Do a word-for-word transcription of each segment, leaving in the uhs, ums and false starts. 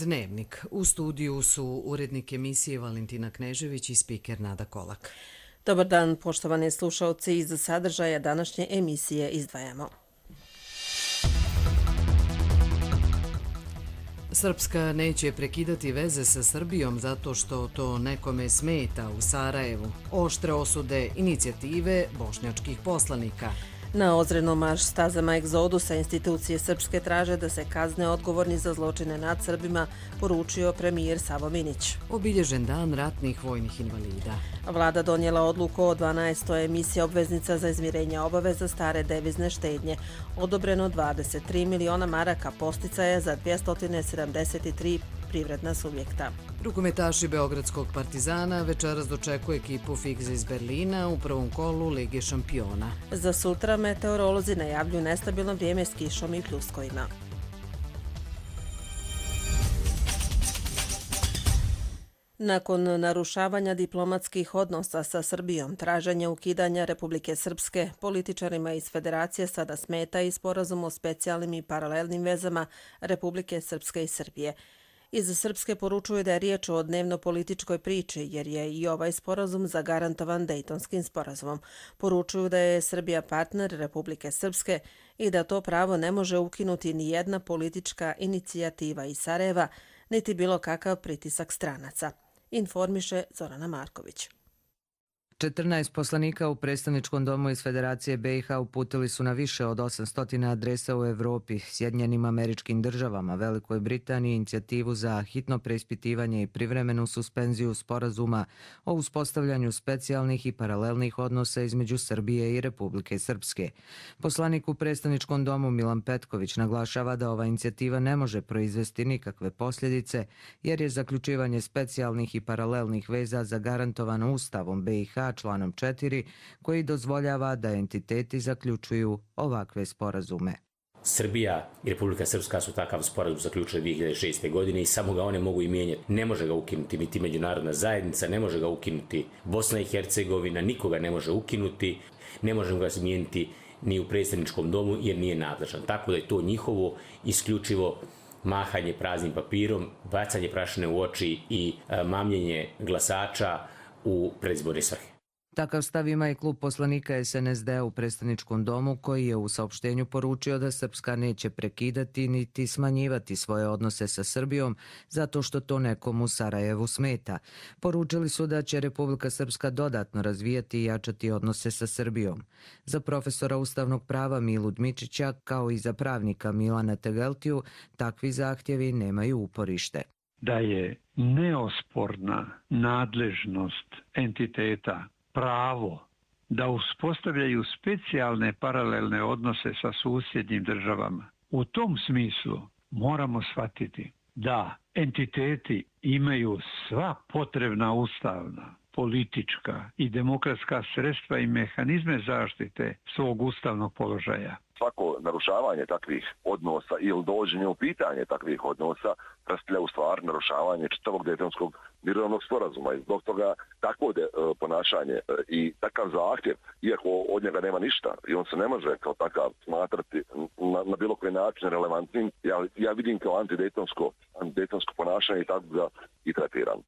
Dnevnik. U studiju su urednik emisije Valentina Knežević i spiker Nada Kolak. Dobar dan, poštovani slušalci, iz sadržaja današnje emisije izdvajamo. Srpska neće prekidati veze sa Srbijom zato što to nekome smeta u Sarajevu. Oštre osude inicijative bošnjačkih poslanika. Na ozrednom marš stazama egzodusa institucije srpske traže da se kazne odgovorni za zločine nad Srbima, poručio premijer Savo Minić. Obilježen dan ratnih vojnih invalida. Vlada donijela odluku o dvanaestoj emisiji obveznica za izmirenje obaveza stare devizne štednje. Odobreno dvadeset tri miliona maraka posticaja za dvjesto sedamdeset tri privredna subjekta. Rukometaši Beogradskog Partizana večeras dočekuje ekipu Figza iz Berlina u prvom kolu Lige šampiona. Za sutra meteorolozi najavljuju nestabilno vrijeme s kišom i pljuskovima. Nakon narušavanja diplomatskih odnosa sa Srbijom, traženje ukidanja Republike Srpske, političarima iz Federacije sada smeta i sporazum o specijalnim i paralelnim vezama Republike Srpske i Srbije. Iz Srpske poručuju da je riječ o dnevno-političkoj priči, jer je i ovaj sporazum zagarantovan Dejtonskim sporazumom. Poručuju da je Srbija partner Republike Srpske i da to pravo ne može ukinuti ni jedna politička inicijativa iz Sarajeva, niti bilo kakav pritisak stranaca, informiše Zorana Marković. četrnaest poslanika u predstavničkom domu iz Federacije B i H uputili su na više od osamsto adresa u Evropi, Sjedinjenim Američkim Državama, Velikoj Britaniji inicijativu za hitno preispitivanje i privremenu suspenziju sporazuma o uspostavljanju specijalnih i paralelnih odnosa između Srbije i Republike Srpske. Poslanik u predstavničkom domu Milan Petković naglašava da ova inicijativa ne može proizvesti nikakve posljedice, jer je zaključivanje specijalnih i paralelnih veza zagarantovano Ustavom B i H članom četiri, koji dozvoljava da entiteti zaključuju ovakve sporazume. Srbija i Republika Srpska su takav sporazum zaključili dvije hiljade šeste. godine i samo ga one mogu i mijenjati. Ne može ga ukinuti niti međunarodna zajednica, ne može ga ukinuti Bosna i Hercegovina, nikoga ne može ukinuti, ne možemo ga izmijeniti ni u predstavničkom domu jer nije nadležan. Tako da je to njihovo isključivo mahanje praznim papirom, bacanje prašine u oči i mamljenje glasača u predizborne svrhe. Takav stav ima i klub poslanika S N S D u predstavničkom domu, koji je u saopštenju poručio da Srpska neće prekidati niti smanjivati svoje odnose sa Srbijom zato što to nekom u Sarajevu smeta. Poručili su da će Republika Srpska dodatno razvijati i jačati odnose sa Srbijom. Za profesora ustavnog prava Milu Dmičića, kao i za pravnika Milana Tegeltiju, takvi zahtjevi nemaju uporište. Da je neosporna nadležnost entiteta pravo da uspostavljaju specijalne paralelne odnose sa susjednim državama. U tom smislu moramo shvatiti da entiteti imaju sva potrebna ustavna, politička i demokratska sredstva i mehanizme zaštite svog ustavnog položaja. Svako narušavanje takvih odnosa ili dovođenje u pitanje takvih odnosa predstavlja u stvari narušavanje čitavog Dejtonskog mirovnog sporazuma. I zbog toga takvo de, ponašanje i takav zahtjev, iako od njega nema ništa i on se ne može kao takav smatrati na, na bilo koji način relevantnim, ja, ja vidim kao antidejtonsko, antidejtonsko ponašanje i tako ga i tretiram.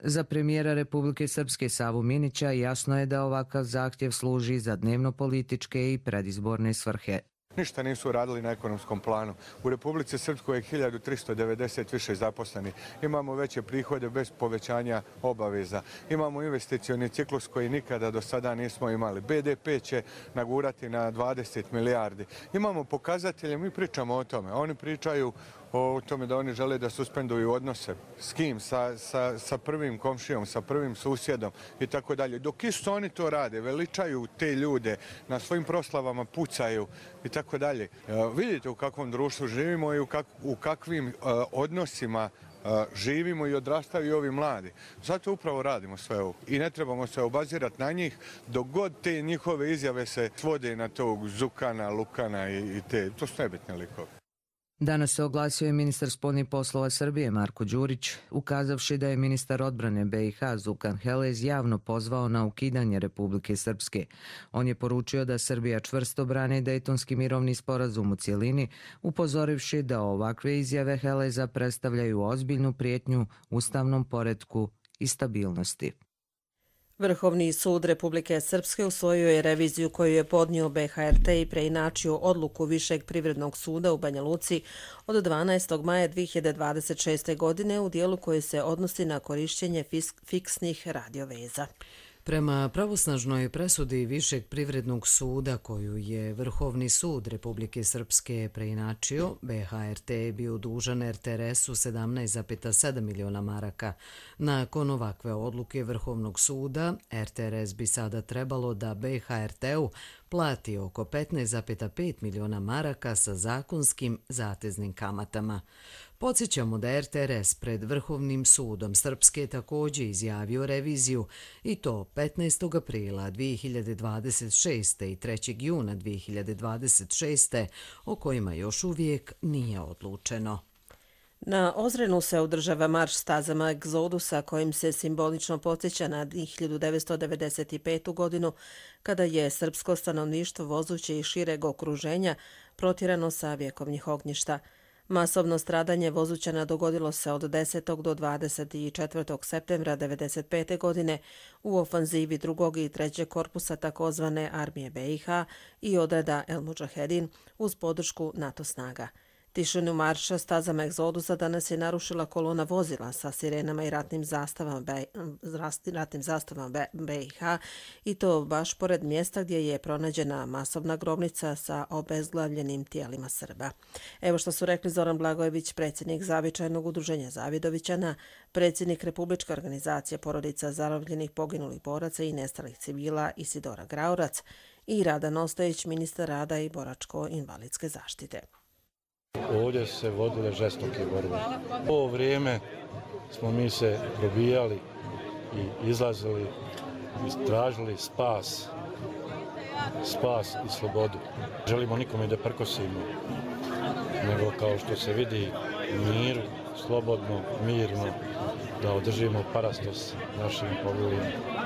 Za premijera Republike Srpske Savu Minića jasno je da ovakav zahtjev služi za dnevno-političke i predizborne svrhe. Ništa nisu radili na ekonomskom planu. U Republici Srpskoj je hiljadu tristo devedeset više zaposleni. Imamo veće prihode bez povećanja obaveza. Imamo investicioni ciklus koji nikada do sada nismo imali. B D P će nagurati na dvadeset milijardi. Imamo pokazatelje, mi pričamo o tome. Oni pričaju o tome da oni žele da suspenduju odnose. S kim? Sa, sa, sa prvim komšijom, sa prvim susjedom i tako dalje. Dok isto oni to rade, veličaju te ljude, na svojim proslavama pucaju i tako dalje. Vidite u kakvom društvu živimo i u, kak, u kakvim uh, odnosima uh, živimo i odrastaju i ovi mladi. Zato upravo radimo sve ovo. I ne trebamo se obazirati na njih dok god te njihove izjave se svode na tog Zukana, Lukana i, i te. To su nebitne likove. Danas se oglasio i ministar spoljnih poslova Srbije Marko Đurić, ukazavši da je ministar odbrane B i H Zukan Helez javno pozvao na ukidanje Republike Srpske. On je poručio da Srbija čvrsto brani Dejtonski mirovni sporazum u cjelini, upozorivši da ovakve izjave Heleza predstavljaju ozbiljnu prijetnju ustavnom poretku i stabilnosti. Vrhovni sud Republike Srpske usvojio je reviziju koju je podnio B H R T i preinačio odluku Višeg privrednog suda u Banja Luci od dvanaestog maja dvije hiljade dvadeset šeste. godine u dijelu koji se odnosi na korišćenje fiksnih radioveza. Prema pravosnažnoj presudi Višeg privrednog suda koju je Vrhovni sud Republike Srpske preinačio, B H R T je bio dužan R T R S-u sedamnaest zarez sedam miliona maraka. Nakon ovakve odluke Vrhovnog suda, R T R S bi sada trebalo da B H R T-u plati oko petnaest zarez pet miliona maraka sa zakonskim zateznim kamatama. Podsjećamo da R T R S pred Vrhovnim sudom Srpske također izjavio reviziju i to petnaestog aprila dvije hiljade dvadeset šeste. i trećeg juna dvije hiljade dvadeset šeste. o kojima još uvijek nije odlučeno. Na Ozrenu se održava marš stazama Egzodusa kojim se simbolično podsjeća na hiljadu devetsto devedeset petu. godinu kada je srpsko stanovništvo vozuće iz šireg okruženja protjerano sa vjekovnih ognjišta. Masovno stradanje vozućana dogodilo se od desetog do dvadeset četvrtog septembra devedeset pete. godine u ofanzivi drugog i trećeg korpusa takozvane armije B i H i odreda El Mudžahedin uz podršku NATO snaga. Tišinu marša stazama Egzodusa danas je narušila kolona vozila sa sirenama i ratnim zastavama B, ratnim zastavama B i H i to baš pored mjesta gdje je pronađena masovna grobnica sa obezglavljenim tijelima Srba. Evo što su rekli Zoran Blagojević, predsjednik Zavičajnog udruženja Zavidovićana, predsjednik Republičke organizacije porodica zarobljenih poginulih boraca i nestalih civila Isidora Graurac i Radan Ostojić, ministar rada i boračko-invalidske zaštite. Ovdje su se vodile žestoke borbe. U ovo vrijeme smo mi se probijali i izlazili i tražili spas, spas i slobodu. Želimo nikome da prkosimo, nego kao što se vidi mir, slobodno, mirno, da održimo parastos našim poginulim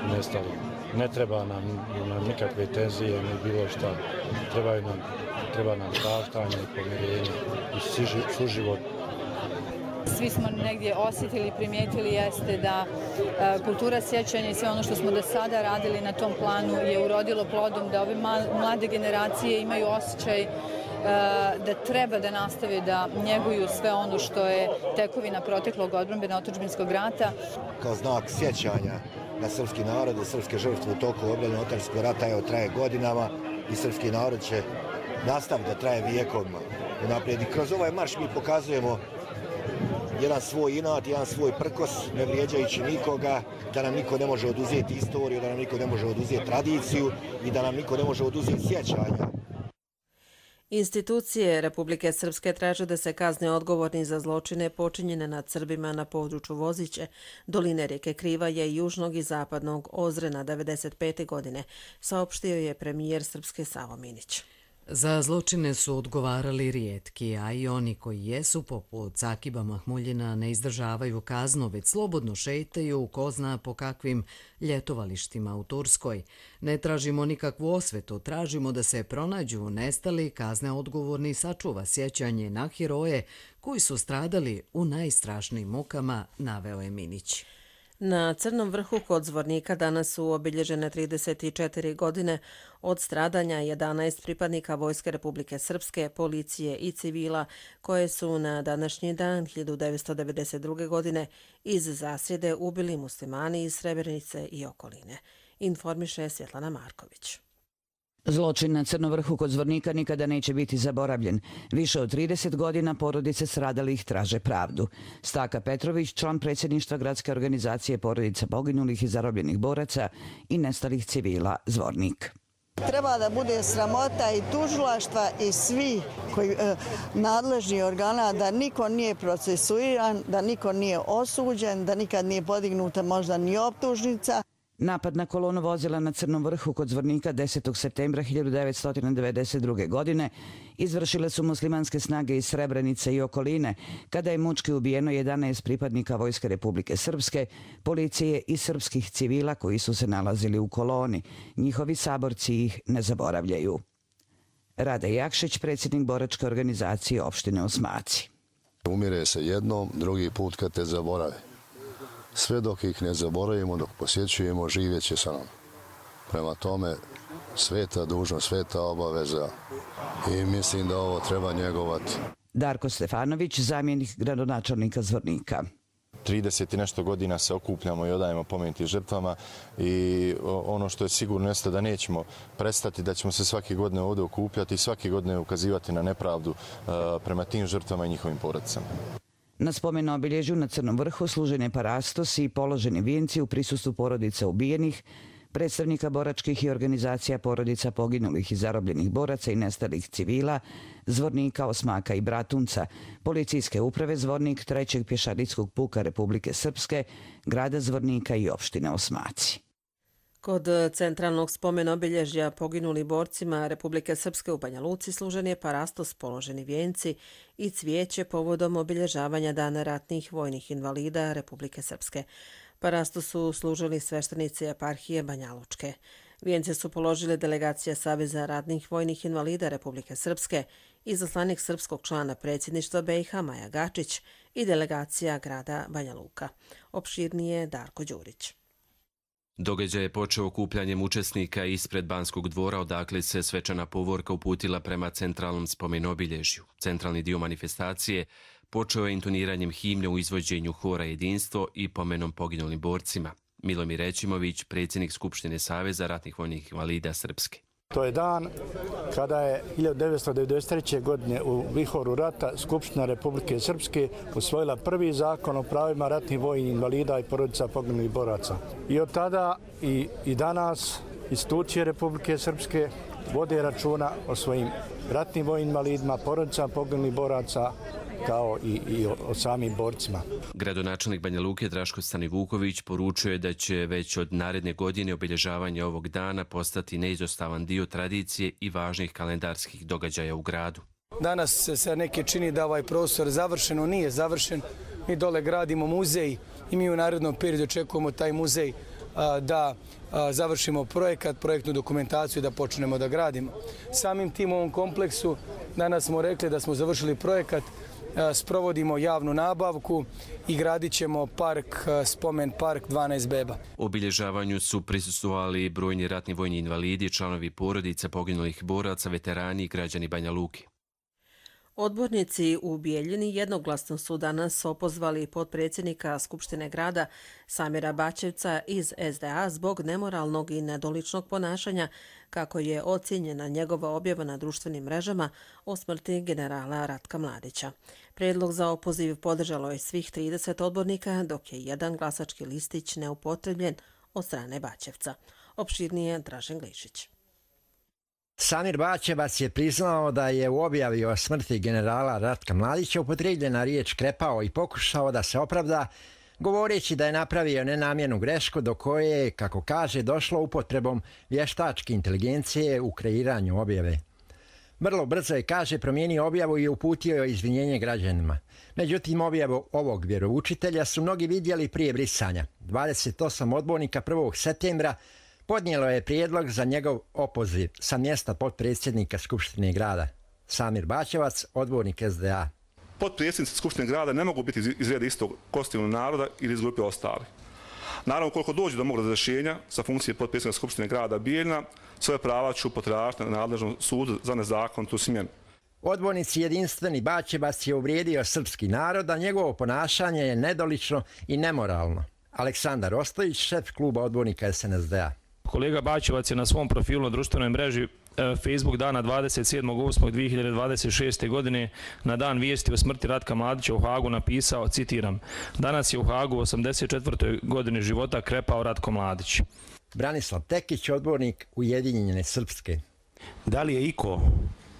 i nestalim. Ne treba nam, nam nikakve tenzije ni bilo šta. Trebaju nam Treba nam praštanje i pomirenje i suživot. Svi smo negdje osjetili i primijetili jeste da e, kultura sjećanja i sve ono što smo do sada radili na tom planu je urodilo plodom, da ove mlade generacije imaju osjećaj e, da treba da nastave da njeguju sve ono što je tekovina proteklog odbrambeno otadžbinskog rata. Kao znak sjećanja na srpski narod i srpske žrtve u toku odbrane otadžbinskog rata evo traje godinama i srpski narod će nastav da traje vijekovima. Unaprijed. I kroz ovaj marš mi pokazujemo jedan svoj inat, jedan svoj prkos, ne vrijeđajući nikoga, da nam niko ne može oduzeti istoriju, da nam niko ne može oduzeti tradiciju i da nam niko ne može oduzeti sjećanja. Institucije Republike Srpske traže da se kazne odgovorni za zločine počinjene nad Srbima na području Voziće, doline rijeke Krivaje i južnog i zapadnog Ozrena devedeset pete. godine, saopštio je premijer Srpske Savo Minić. Za zločine su odgovarali rijetki, a i oni koji jesu, poput Cakiba Mahmuljina, ne izdržavaju kaznu, već slobodno šetaju ko zna po kakvim ljetovalištima u Turskoj. Ne tražimo nikakvu osvetu, tražimo da se pronađu nestali, kazne odgovorni, sačuva sjećanje na heroje koji su stradali u najstrašnijim mukama, naveo je Minić. Na Crnom vrhu kod Zvornika danas su obilježene trideset četiri godine od stradanja jedanaest pripadnika Vojske Republike Srpske, policije i civila koje su na današnji dan hiljadu devetsto devedeset druge. godine iz zasjede ubili muslimani iz Srebrenice i okoline. Informiše Svjetlana Marković. Zločin na Crnom vrhu kod Zvornika nikada neće biti zaboravljen. Više od trideset godina porodice stradalih traže pravdu. Staka Petrović, član predsjedništva gradske organizacije porodica poginulih i zarobljenih boraca i nestalih civila Zvornik. Treba da bude sramota i tužilaštva i svi koji e, nadležni organa da niko nije procesuiran, da niko nije osuđen, da nikad nije podignuta možda ni optužnica. Napad na kolonu vozila na Crnom vrhu kod Zvornika desetog septembra hiljadu devetsto devedeset druge. godine izvršile su muslimanske snage iz Srebrenice i okoline, kada je mučki ubijeno jedanaest pripadnika Vojske Republike Srpske, policije i srpskih civila koji su se nalazili u koloni. Njihovi saborci ih ne zaboravljaju. Rade Jakšić, predsjednik boračke organizacije opštine Osmaci. Umire se jednom, drugi put kad te zaborave. Sve dok ih ne zaboravimo, dok posjećujemo, živjet će sa nama. Prema tome, sveta dužnost, sveta obaveza i mislim da ovo treba njegovati. Darko Stefanović, zamjenik gradonačelnika Zvornika. trideset i nešto godina se okupljamo i odajemo pomeniti žrtvama i ono što je sigurno jeste da nećemo prestati, da ćemo se svake godine ovdje okupljati i svake godine ukazivati na nepravdu prema tim žrtvama i njihovim porodicama. Na spomen obilježju na Crnom vrhu služen je parastos i položeni vijenci u prisustvu porodica ubijenih, predstavnika boračkih i organizacija porodica poginulih i zarobljenih boraca i nestalih civila, Zvornika, Osmaka i Bratunca, policijske uprave Zvornik, trećeg pješadijskog puka Republike Srpske, grada Zvornika i opštine Osmaci. Kod centralnog spomen obilježja poginuli borcima Republike Srpske u Banja Luci služen je parastos, položeni vijenci i cvijeće povodom obilježavanja Dana ratnih vojnih invalida Republike Srpske. Parastos su služili sveštenici eparhije Banja Lučke. Vijence su položile delegacija Saveza ratnih vojnih invalida Republike Srpske, izaslanik srpskog člana predsjedništva B i H Maja Gačić i delegacija grada Banja Luka. Opširnije Darko Đurić. Događaj je počeo okupljanjem učesnika ispred Banskog dvora, odakle se svečana povorka uputila prema centralnom spomenobilježju. Centralni dio manifestacije počeo je intoniranjem himne u izvođenju hora Jedinstvo i pomenom poginulim borcima. Milomir Rećimović, predsjednik Skupštine Saveza ratnih vojnih invalida Srpske. To je dan kada je hiljadu devetsto devedeset treće. godine u vihoru rata Skupština Republike Srpske usvojila prvi zakon o pravima ratnih vojnih invalida i porodica poginulih boraca. I od tada i, i danas institucije Republike Srpske vode računa o svojim ratnim vojnim invalidima, porodicama poginulih boraca, kao i, i o, o samim borcima. Gradonačelnik Banja Luke Draško Stanivuković poručuje je da će već od naredne godine obilježavanje ovog dana postati neizostavan dio tradicije i važnih kalendarskih događaja u gradu. Danas se neke čini da ovaj prostor završeno nije završen. Mi dole gradimo muzej i mi u narednom periodu očekujemo taj muzej a, da a, završimo projekat, projektnu dokumentaciju i da počnemo da gradimo. Samim tim u ovom kompleksu danas smo rekli da smo završili projekat, sprovodimo javnu nabavku i gradit ćemo park, spomen park dvanaest beba. Obilježavanju su prisustvovali brojni ratni vojni invalidi, članovi porodica poginulih boraca, veterani i građani Banja Luke. Odbornici u Bijeljini jednoglasno su danas opozvali potpredsjednika Skupštine grada Samira Bačevca iz S D A zbog nemoralnog i nedoličnog ponašanja, kako je ocijenjena njegova objava na društvenim mrežama o smrti generala Ratka Mladića. Predlog za opoziv podržalo je svih trideset odbornika, dok je jedan glasački listić neupotrebljen od strane Bačevca. Opširnije Dražen Glišić. Samir Bačevac je priznao da je u objavi o smrti generala Ratka Mladića upotrijebljena riječ krepao i pokušao da se opravda, govoreći da je napravio nenamjernu grešku do koje je, kako kaže, došlo upotrebom vještačke inteligencije u kreiranju objave. Vrlo brzo je, kaže, promijenio objavu i uputio izvinjenje građanima. Međutim, objavu ovog vjeroučitelja su mnogi vidjeli prije brisanja. dvadeset osam odbornika prvog septembra podnijelo je prijedlog za njegov opoziv sa mjesta potpredsjednika Skupštine grada. Samir Bačevac, odbornik S D A. Potpredsjednici Skupštine grada ne mogu biti iz reda istog konstitutivnog naroda ili iz grupe ostali. Naravno, koliko dođe do mog razrješenja sa funkcije potpredsjednika Skupštine grada Bijeljina, svoje prava ću potražiti na nadležnom sudu za nezakonitu smjenu. Odbornici Jedinstveni Bačevac je uvrijedio srpski narod, a njegovo ponašanje je nedolično i nemoralno. Aleksandar Ostojić, šef kluba odbornika S N S D A. Kolega Bačevac je na svom profilu na društvenoj mreži Facebook dana dvadeset sedmog osmog dvije hiljade dvadeset šeste. godine na dan vijesti o smrti Ratka Mladića u Hagu napisao, citiram: "Danas je u Hagu u osamdeset četvrtoj godini života krepao Ratko Mladić." Branislav Tekić, odbornik Ujedinjene Srpske. Da li je iko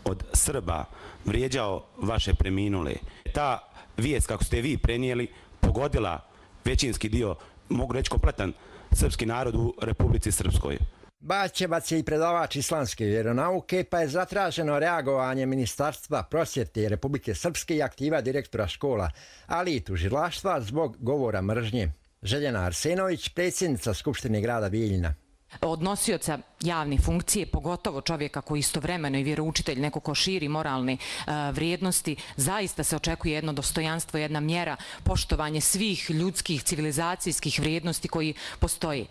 od Srba vrijeđao vaše preminule? Ta vijest, kako ste vi prenijeli, pogodila većinski dio mogu reći, kompletan srpski narod u Republici Srpskoj. Bačevac je i predavač islamske vjeronauke, pa je zatraženo reagovanje Ministarstva prosvjete Republike Srpske i aktiva direktora škola, ali i tužilaštva zbog govora mržnje. Željena Arsenović, predsjednica Skupštine grada Bijeljina. Od nosioca javne funkcije, pogotovo čovjeka koji istovremeno i vjeroučitelj, neko ko širi moralne uh, vrijednosti, zaista se očekuje jedno dostojanstvo, jedna mjera, poštovanje svih ljudskih civilizacijskih vrijednosti koji postoji.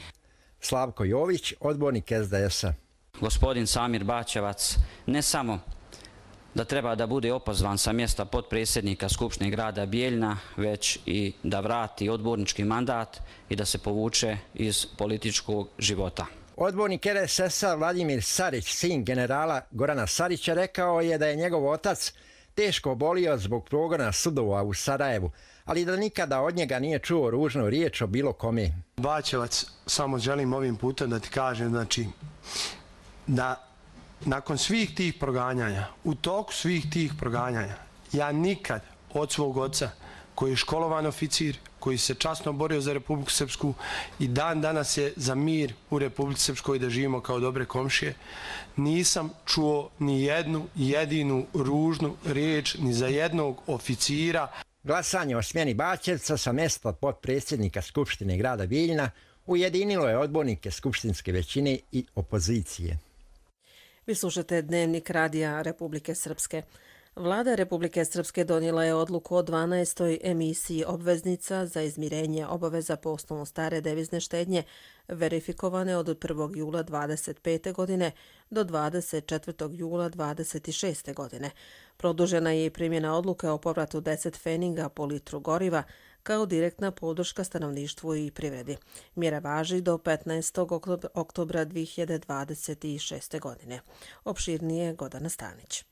Slavko Jović, odbornik es de es a. Gospodin Samir Bačevac ne samo da treba da bude opozvan sa mjesta potpredsjednika Skupštine grada Bijeljina, već i da vrati odbornički mandat i da se povuče iz političkog života. Odbornik er es es a Vladimir Sarić, sin generala Gorana Sarića, rekao je da je njegov otac teško obolio zbog progona sudova u Sarajevu, ali da nikada od njega nije čuo ružnu riječ o bilo kome. Bačevac, samo želim ovim putem da ti kažem, znači, da nakon svih tih proganjanja, u toku svih tih proganjanja, ja nikad od svog oca, koji je školovan oficir, koji se časno borio za Republiku Srpsku i dan danas je za mir u Republici Srpskoj da živimo kao dobre komšije, nisam čuo ni jednu jedinu ružnu riječ ni za jednog oficira. Glasanje o smjeni Bačevca sa mjesta potpredsjednika Skupštine grada Bijeljina ujedinilo je odbornike skupštinske većine i opozicije. Vi slušate Dnevnik radija Republike Srpske. Vlada Republike Srpske donijela je odluku o dvanaestoj emisiji obveznica za izmirenje obaveza po osnovu stare devizne štednje verifikovane od prvog jula dvadeset pete. godine do dvadeset četvrtog jula dvadeset šeste. godine. Produžena je i primjena odluke o povratu deset pfeninga po litru goriva kao direktna podrška stanovništvu i privredi. Mjera važi do petnaestog oktobra dvije hiljade dvadeset šeste. godine. Opširnije Gordana Stanić.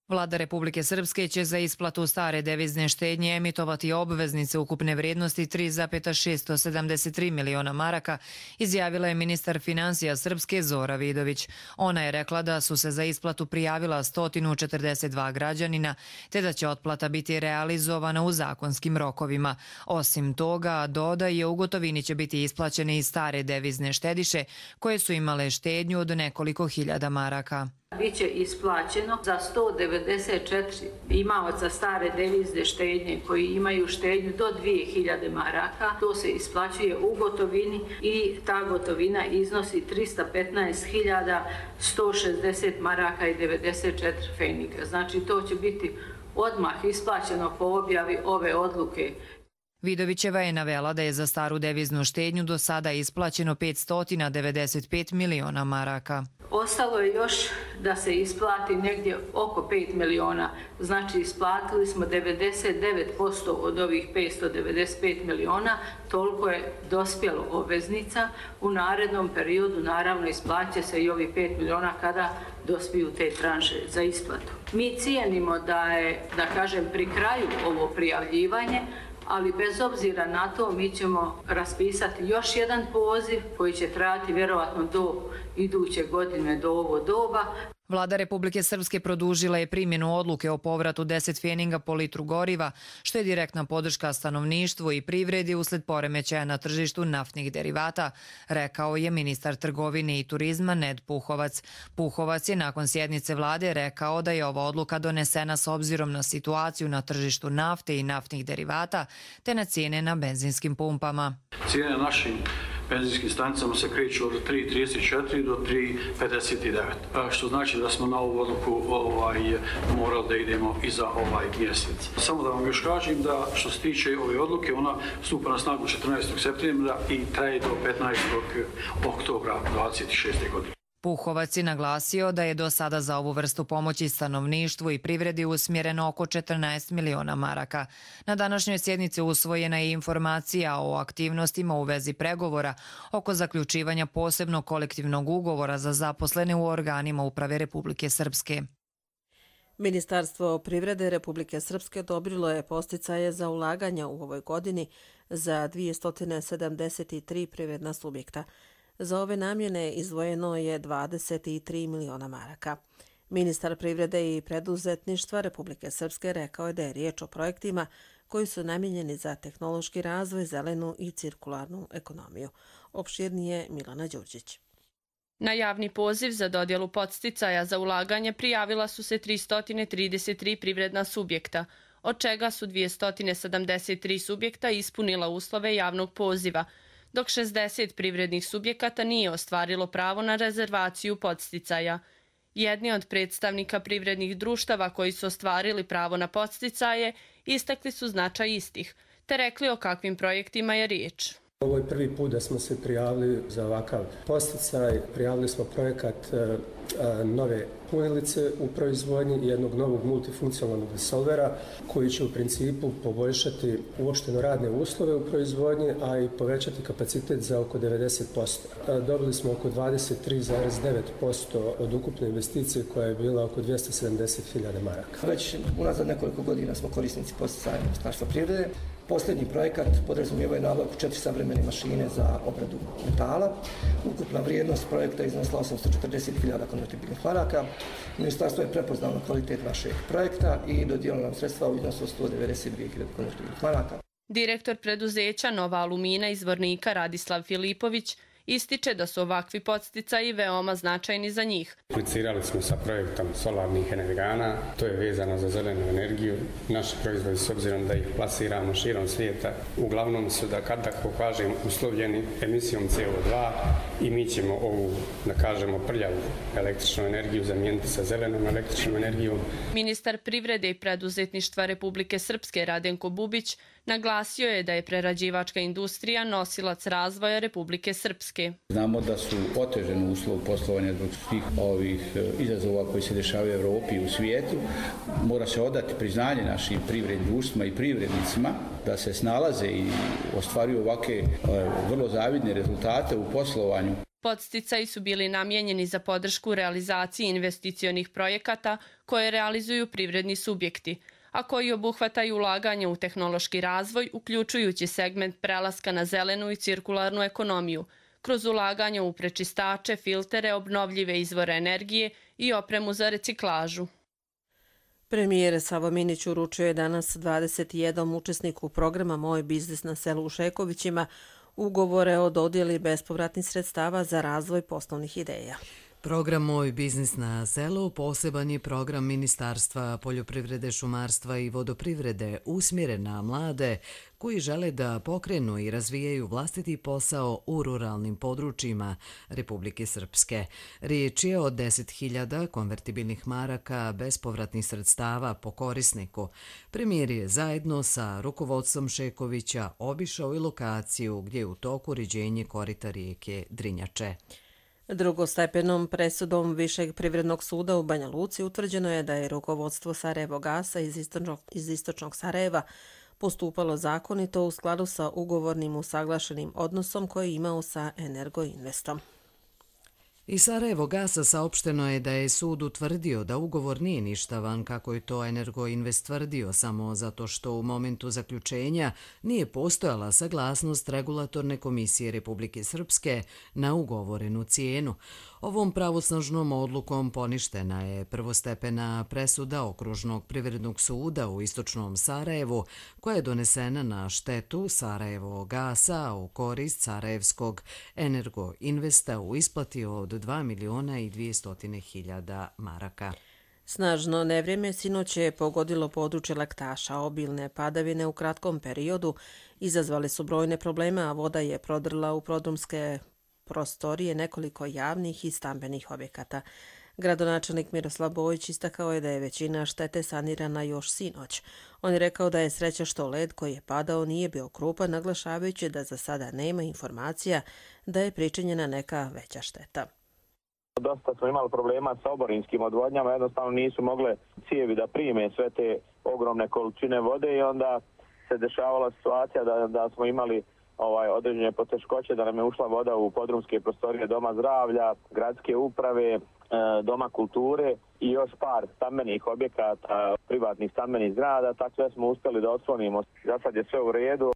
Vlada Republike Srpske će za isplatu stare devizne štednje emitovati obveznice ukupne vrijednosti tri zarez šesto sedamdeset tri miliona maraka, izjavila je ministar finansija Srpske Zora Vidović. Ona je rekla da su se za isplatu prijavila sto četrdeset dva građanina, te da će otplata biti realizovana u zakonskim rokovima. Osim toga, dodaje, u gotovini će biti isplaćene i stare devizne štediše koje su imale štednju od nekoliko hiljada maraka. Biće isplaćeno za sto devedeset četiri imaoca stare devizne štednje koji imaju štednju do dvije hiljade maraka. To se isplaćuje u gotovini i ta gotovina iznosi trista petnaest hiljada sto šezdeset maraka i devedeset četiri pfeninga. Znači to će biti odmah isplaćeno po objavi ove odluke. Vidovićeva je navela da je za staru deviznu štednju do sada isplaćeno petsto devedeset pet miliona maraka. Ostalo je još da se isplati negdje oko pet miliona. Znači isplatili smo devedeset devet posto od ovih petsto devedeset pet miliona. Toliko je dospjelo obveznica. U narednom periodu naravno isplaće se i ovih pet miliona kada dospiju te tranše za isplatu. Mi cijenimo da je, da kažem, pri kraju ovo prijavljivanje, ali bez obzira na to mi ćemo raspisati još jedan poziv koji će trajati vjerovatno do iduće godine, do ovo doba. Vlada Republike Srpske produžila je primjenu odluke o povratu deset pfeninga po litru goriva, što je direktna podrška stanovništvu i privredi usled poremećaja na tržištu naftnih derivata, rekao je ministar trgovine i turizma Ned Puhovac. Puhovac je nakon sjednice vlade rekao da je ova odluka donesena s obzirom na situaciju na tržištu nafte i naftnih derivata, te na cijene na benzinskim pumpama. Cijene našim benzinskim stanicama se kreću od tri trideset četiri do tri pedeset devet, što znači da smo na ovu odluku ovaj, morali da idemo i za ovaj mjesec. Samo da vam još kažem da što se tiče ove odluke, ona stupa na snagu četrnaestog septembra i traje do petnaestog oktobra dvadeset šeste. godine. Puhovac je naglasio da je do sada za ovu vrstu pomoći stanovništvu i privredi usmjereno oko četrnaest miliona maraka. Na današnjoj sjednici usvojena je informacija o aktivnostima u vezi pregovora oko zaključivanja posebnog kolektivnog ugovora za zaposlene u organima uprave Republike Srpske. Ministarstvo privrede Republike Srpske odobrilo je podsticaje za ulaganja u ovoj godini za dvjesto sedamdeset tri privredna subjekta. Za ove namjene izdvojeno je dvadeset tri miliona maraka. Ministar privrede i preduzetništva Republike Srpske rekao je da je riječ o projektima koji su namijenjeni za tehnološki razvoj, zelenu i cirkularnu ekonomiju. Opširnije Milana Đurđić. Na javni poziv za dodjelu podsticaja za ulaganje prijavila su se tristo trideset tri privredna subjekta, od čega su dvjesto sedamdeset tri subjekta ispunila uslove javnog poziva, dok šezdeset privrednih subjekata nije ostvarilo pravo na rezervaciju podsticaja. Jedni od predstavnika privrednih društava koji su ostvarili pravo na podsticaje istakli su značaj istih, te rekli o kakvim projektima je riječ. Ovo je prvi put da smo se prijavili za ovakav podsticaj. Prijavili smo projekat nove punilice u proizvodnji i jednog novog multifunkcionalnog disolvera koji će u principu poboljšati uopšteno radne uslove u proizvodnji, a i povećati kapacitet za oko devedeset posto. Dobili smo oko dvadeset tri zarez devet posto od ukupne investicije koja je bila oko dvjesto sedamdeset hiljada maraka. Već unazad nekoliko godina smo korisnici podsticaja Ministarstva privrede. Posljednji projekat podrazumijeva je nabavku četiri savremene mašine za obradu metala. Ukupna vrijednost projekta iznosila osamsto četrdeset hiljada konvertibilnih maraka. Ministarstvo je prepoznalo kvalitet našeg projekta i dodijelilo nam sredstva u iznosu sto devedeset dvije hiljade konvertibilnih maraka. Direktor preduzeća Nova Alumina iz Vornika Radislav Filipović ističe da su ovakvi podsticaji veoma značajni za njih. Aplicirali smo sa projektom solarnih energana, to je vezano za zelenu energiju. Naši proizvodi, s obzirom da ih plasiramo širom svijeta, uglavnom su, da kad tako kažem, uslovljeni emisijom C O dva i mi ćemo ovu, da kažemo, prljavu električnu energiju zamijeniti sa zelenom električnom energijom. Ministar privrede i preduzetništva Republike Srpske Radenko Bubić naglasio je da je prerađivačka industrija nosilac razvoja Republike Srpske. Znamo da su oteženi uslovi poslovanja zbog svih ovih izazova koji se dešavaju u Evropi i u svijetu. Mora se odati priznanje našim privrednim društvima i privrednicima da se snalaze i ostvaruju ovakve vrlo zavidne rezultate u poslovanju. Podsticaji su bili namijenjeni za podršku realizaciji investicionih projekata koje realizuju privredni subjekti, a koji obuhvataju ulaganje u tehnološki razvoj, uključujući segment prelaska na zelenu i cirkularnu ekonomiju, kroz ulaganje u prečistače, filtere, obnovljive izvore energije i opremu za reciklažu. Premijer Savo Minić uručio je danas dvadeset jedan učesniku programa Moj biznis na selu u Šekovićima ugovore o dodjeli bespovratnih sredstava za razvoj poslovnih ideja. Program Moj biznis na selu poseban je program Ministarstva poljoprivrede, šumarstva i vodoprivrede usmjeren na mlade koji žele da pokrenu i razvijaju vlastiti posao u ruralnim područjima Republike Srpske. Riječ je o deset hiljada konvertibilnih maraka bespovratnih sredstava po korisniku. Premijer je zajedno sa rukovodstvom Šekovića obišao i lokaciju gdje je u toku uređenje korita rijeke Drinjače. Drugostepenom presudom Višeg privrednog suda u Banja Luci utvrđeno je da je rukovodstvo Sarajevo gasa iz istočnog, iz istočnog Sarajeva postupalo zakonito u skladu sa ugovornim usaglašenim odnosom koji je imao sa Energoinvestom. Iz Sarajevo gasa saopšteno je da je sud utvrdio da ugovor nije ništavan kako je to Energoinvest tvrdio samo zato što u momentu zaključenja nije postojala saglasnost regulatorne komisije Republike Srpske na ugovorenu cijenu. Ovom pravosnažnom odlukom poništena je prvostepena presuda Okružnog privrednog suda u istočnom Sarajevu koja je donesena na štetu Sarajevo gasa u korist Sarajevskog Energoinvesta u isplati od dva miliona i dvjesto hiljada maraka. Snažno nevrijeme sinoć je pogodilo područje Laktaša. Obilne padavine u kratkom periodu izazvale su brojne probleme, a voda je prodrla u prodrumske prostorije nekoliko javnih i stambenih objekata. Gradonačelnik Miroslav Bojić istakao je da je većina štete sanirana još sinoć. On je rekao da je sreća što led koji je padao nije bio krupan, naglašavajući da za sada nema informacija da je pričinjena neka veća šteta. Dosta smo imali problema sa oborinskim odvodnjama, jednostavno nisu mogle cijevi da prime sve te ogromne količine vode i onda se dešavala situacija da, da smo imali ovaj određene poteškoće, da nam je ušla voda u podrumske prostorije Doma zdravlja, gradske uprave, Doma kulture i još par stambenih objekata, privatnih stambenih zgrada, tako sve smo uspjeli da otklonimo. Za sad je sve u redu.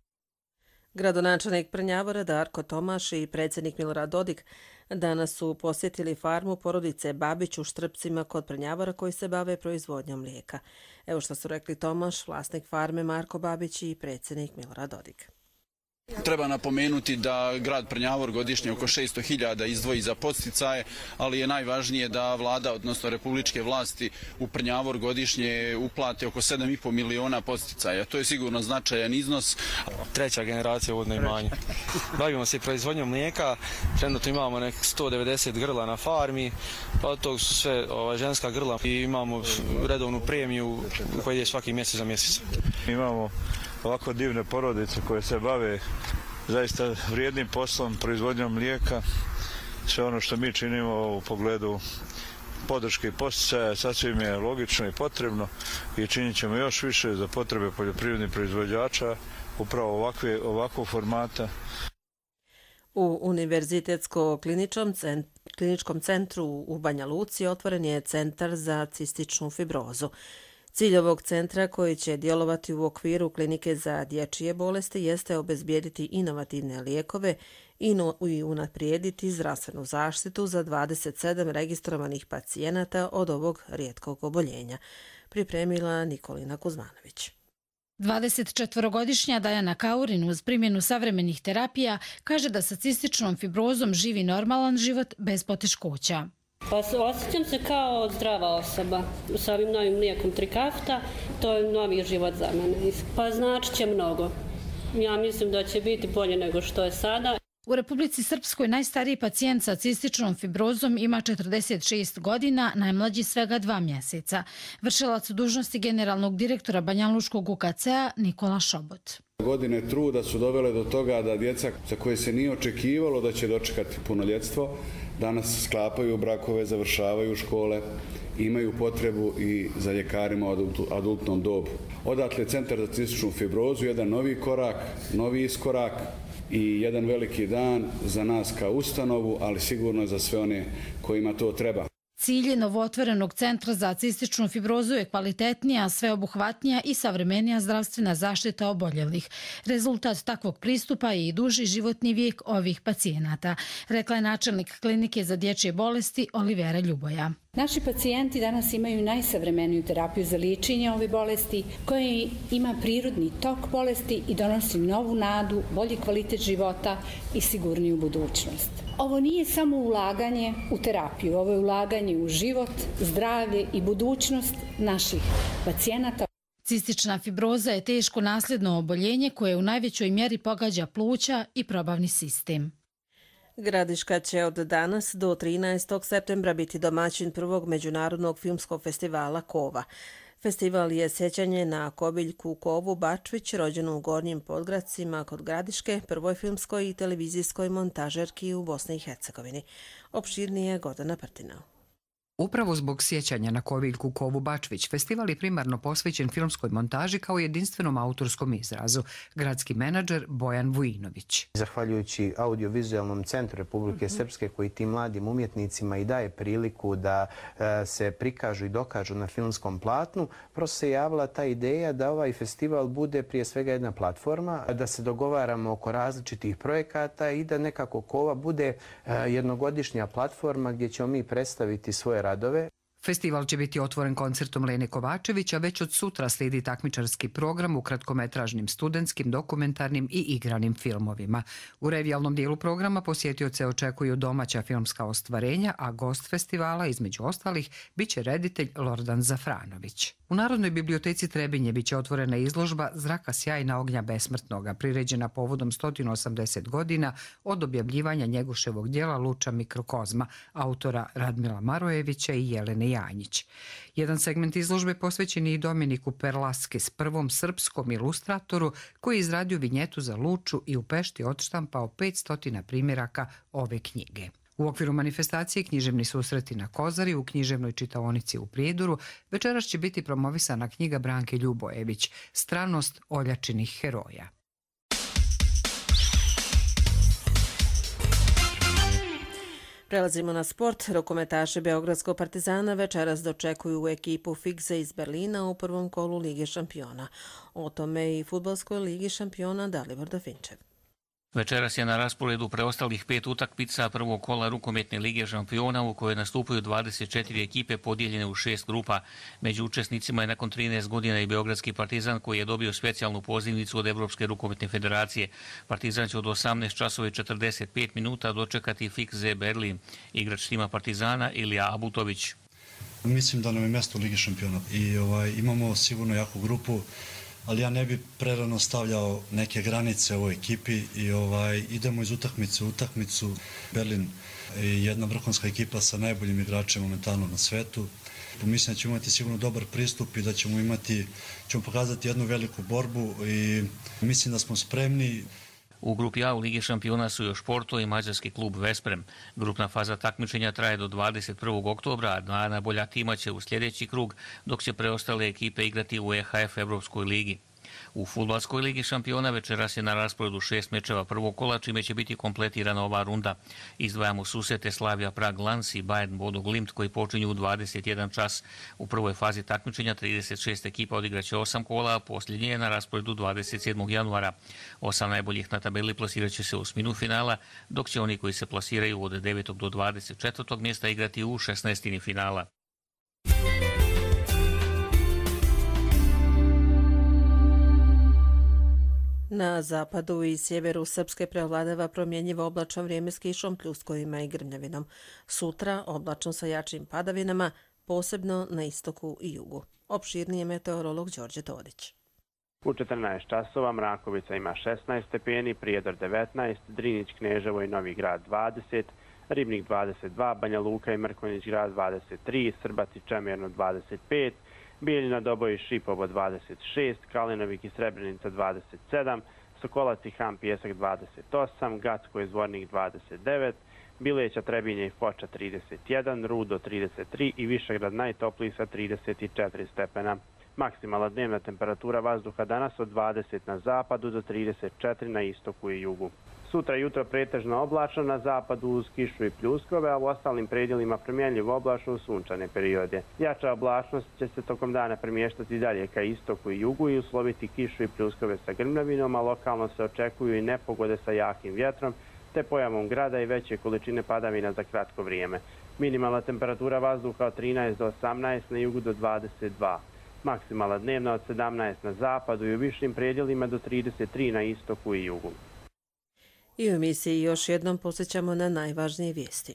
Gradonačelnik Prnjavora Darko Tomaš i predsjednik Milorad Dodik danas su posjetili farmu porodice Babić u Štrpcima kod Prnjavora koji se bave proizvodnjom mlijeka. Evo što su rekli Tomaš, vlasnik farme Marko Babić i predsjednik Milorad Dodik. Treba napomenuti da grad Prnjavor godišnje oko šesto hiljada izdvoji za podsticaje, ali je najvažnije da vlada, odnosno republičke vlasti u Prnjavor godišnje uplate oko sedam i po miliona podsticaja. To je sigurno značajan iznos. Treća generacija uvodno imanje. Bavimo se proizvodnjom mlijeka, trenutno imamo nek sto devedeset grla na farmi, pa od tog su sve ova, ženska grla i imamo redovnu premiju koja ide svaki mjesec za mjesec. Imamo ovako divne porodice koje se bave zaista vrijednim poslom, proizvodnjom mlijeka. Sve ono što mi činimo u pogledu podrške i posticaja sasvim je logično i potrebno i činit ćemo još više za potrebe poljoprivrednih proizvođača upravo ovakve, ovakvog formata. U Univerzitetsko-kliničkom centru u Banja Luci otvoren je centar za cističnu fibrozu. Cilj ovog centra, koji će djelovati u okviru klinike za dječje bolesti, jeste obezbijediti inovativne lijekove i unaprijediti zdravstvenu zaštitu za dvadeset sedam registrovanih pacijenata od ovog rijetkog oboljenja, pripremila Nikolina Kuzmanović. dvadesetčetvorogodišnja Dajana Kaurin uz primjenu savremenih terapija kaže da sa cističnom fibrozom živi normalan život bez poteškoća. Pa osjećam se kao zdrava osoba sa ovim novim mlijekom Trikafta, to je novi život za mene. Pa znači će mnogo. Ja mislim da će biti bolje nego što je sada. U Republici Srpskoj najstariji pacijent sa cističnom fibrozom ima četrdeset šest godina, najmlađi svega dva mjeseca. Vršilac dužnosti generalnog direktora Banjaluškog U K C-a Nikola Šobot. Godine truda su dovele do toga da djeca za koje se nije očekivalo da će dočekati punoljetstvo, danas sklapaju brakove, završavaju škole, imaju potrebu i za ljekarima u adultnom dobu. Odatle Centar za cističnu fibrozu, jedan novi korak, novi iskorak i jedan veliki dan za nas kao ustanovu, ali sigurno za sve one kojima to treba. Cilj novootvorenog centra za cističnu fibrozu je kvalitetnija, sveobuhvatnija i savremenija zdravstvena zaštita oboljelih. Rezultat takvog pristupa je i duži životni vijek ovih pacijenata, rekla je načelnik klinike za dječje bolesti Olivera Ljuboja. Naši pacijenti danas imaju najsavremeniju terapiju za liječenje ove bolesti koja ima prirodni tok bolesti i donosi novu nadu, bolji kvalitet života i sigurniju budućnost. Ovo nije samo ulaganje u terapiju, ovo je ulaganje u život, zdravlje i budućnost naših pacijenata. Cistična fibroza je teško nasljedno oboljenje koje u najvećoj mjeri pogađa pluća i probavni sistem. Gradiška će od danas do trinaestog septembra biti domaćin prvog međunarodnog filmskog festivala Kova. Festival je sjećanje na Kobiljku Kovu Bačvić, rođenu u Gornjim Podgradcima kod Gradiške, prvoj filmskoj i televizijskoj montažerki u Bosni i Hercegovini. Opširnije Gordana Prtinao. Upravo zbog sjećanja na Kobiljku Kovu Bačvić, festival je primarno posvećen filmskoj montaži kao jedinstvenom autorskom izrazu. Gradski menadžer Bojan Vujinović. Zahvaljujući audiovizualnom centru Republike Srpske koji tim mladim umjetnicima i daje priliku da se prikažu i dokažu na filmskom platnu, prosto se javila ta ideja da ovaj festival bude prije svega jedna platforma, da se dogovaramo oko različitih projekata i da nekako Kova bude jednogodišnja platforma gdje ćemo mi predstaviti svoje radove. Festival će biti otvoren koncertom Lene Kovačević, a već od sutra slijedi takmičarski program u kratkometražnim, studentskim, dokumentarnim i igranim filmovima. U revijalnom dijelu programa posjetioce očekuju domaća filmska ostvarenja, a gost festivala, između ostalih, bit će reditelj Lordan Zafranović. U Narodnoj biblioteci Trebinje bit će otvorena izložba Zraka sjajna ognja besmrtnoga, priređena povodom sto osamdeset godina od objavljivanja Njegoševog djela Luča mikrokozma, autora Radmila Marojevića i Jelene Janjić. Jedan segment izložbe posvećen je i Dominiku Perlaskis, prvom srpskom ilustratoru koji je izradio vinjetu za Luču i u Pešti odštampao petsto primjeraka ove knjige. U okviru manifestacije Književni susreti na Kozari u književnoj čitaonici u Prijedoru večeras će biti promovisana knjiga Branke Ljubojević Stranost oljačinih heroja. Prelazimo na sport. Rukometaši Beogradskog Partizana večeras dočekuju u ekipu Fikse iz Berlina u prvom kolu Lige šampiona. O tome i fudbalskoj Ligi šampiona Dalibor Dafinčev. Večeras je na rasporedu preostalih pet utakmica prvog kola rukometne lige šampiona u kojoj nastupaju dvadeset četiri ekipe podijeljene u šest grupa. Među učesnicima je nakon trinaest godina i Beogradski Partizan koji je dobio specijalnu pozivnicu od Evropske rukometne federacije. Partizan će od osamnaest časova i četrdeset pet minuta dočekati F I K Z Berlin. Igrač tima Partizana Ilija Abutović. Mislim da nam je mjesto u Ligi šampiona i ovaj, imamo sigurno jaku grupu, ali ja ne bi prerano stavljao neke granice ovoj ekipi i ovaj, idemo iz utakmice u utakmicu. Berlin je jedna vrhunska ekipa sa najboljim igračem momentalno na svetu. Mislim da ćemo imati sigurno dobar pristup i da ćemo imati, ćemo pokazati jednu veliku borbu i mislim da smo spremni. U grupi A u Ligi šampiona su još Porto i mađarski klub Vesprem. Grupna faza takmičenja traje do dvadeset prvog oktobra, a dva najbolja tima će u sljedeći krug, dok će preostale ekipe igrati u E H F Evropskoj ligi. U fudbalskoj ligi šampiona večeras je na rasporedu šest mečeva prvog kola, čime će biti kompletirana ova runda. Izdvajamo susrete Slavija Prag Lans i Bayern Bodo Glimt koji počinju u dvadeset jedan čas. U prvoj fazi takmičenja trideset šest ekipa odigraće osam kola, a posljednje je na rasporedu dvadeset sedmog januara. Osam najboljih na tabeli plasiraće se u osminu finala, dok će oni koji se plasiraju od devetog do dvadeset četvrtog mjesta igrati u šesnaestini finala. Na zapadu i sjeveru Srpske preovladava promjenjivo oblačno vrijeme s kišom, pljuskovima i grmljavinom. Sutra oblačno sa jačim padavinama, posebno na istoku i jugu. Opširnije meteorolog Đorđe Todić. U četrnaest časova Mrakovica ima šesnaest stepeni, Prijedor devetnaest, Drinić, Kneževo i Novi Grad dvadeset, Ribnik dvadeset dva, Banja Luka i Mrkonjić Grad dvadeset tri, Srbac i Čemerno dvadeset pet, Bijeljina, Doboj i Šipovo dvadeset šest, Kalinovik i Srebrenica dvadeset sedam, Sokolac i Ham Pijesak dvadeset osam, Gacko i Zvornik dvadeset devet, Bileća, Trebinje i Foča trideset jedan, Rudo trideset tri i Višegrad najtopliji sa trideset četiri stepena. Maksimalna dnevna temperatura vazduha danas od dvadeset na zapadu do trideset četiri na istoku i jugu. Sutra jutro pretežno oblačno, na zapadu uz kišu i pljuskove, a u ostalim predjelima promjenljivo oblačno u sunčane periode. Jača oblačnost će se tokom dana premještati dalje ka istoku i jugu i usloviti kišu i pljuskove sa grmljavinom, a lokalno se očekuju i nepogode sa jakim vjetrom, te pojavom grada i veće količine padavina za kratko vrijeme. Minimalna temperatura vazduha od trinaest do osamnaest, na jugu do dvadeset dva. Maksimalna dnevna od sedamnaest na zapadu i u višim predjelima do trideset tri na istoku i jugu. I u emisiji još jednom posjećamo na najvažnije vijesti.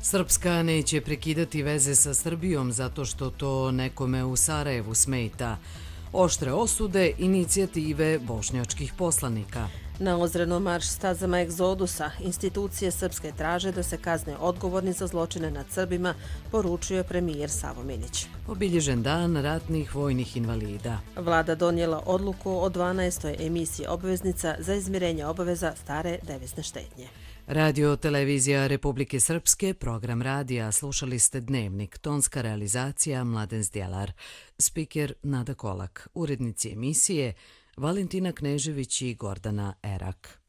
Srpska neće prekidati veze sa Srbijom zato što to nekome u Sarajevu smeta. Oštre osude inicijative bošnjačkih poslanika. Na Ozrenom marš stazama egzodusa institucije srpske traže da se kazne odgovorni za zločine nad Srbima, poručio je premijer Savo Minić. Obilježen dan ratnih vojnih invalida. Vlada donijela odluku o dvanaestoj emisiji obveznica za izmirenje obaveza stare devizne štednje. Radio Televizija Republike Srpske, program radija, slušali ste Dnevnik, tonska realizacija Mladen Zdjelar, spiker Nada Kolak, urednici emisije Valentina Knežević i Gordana Erak.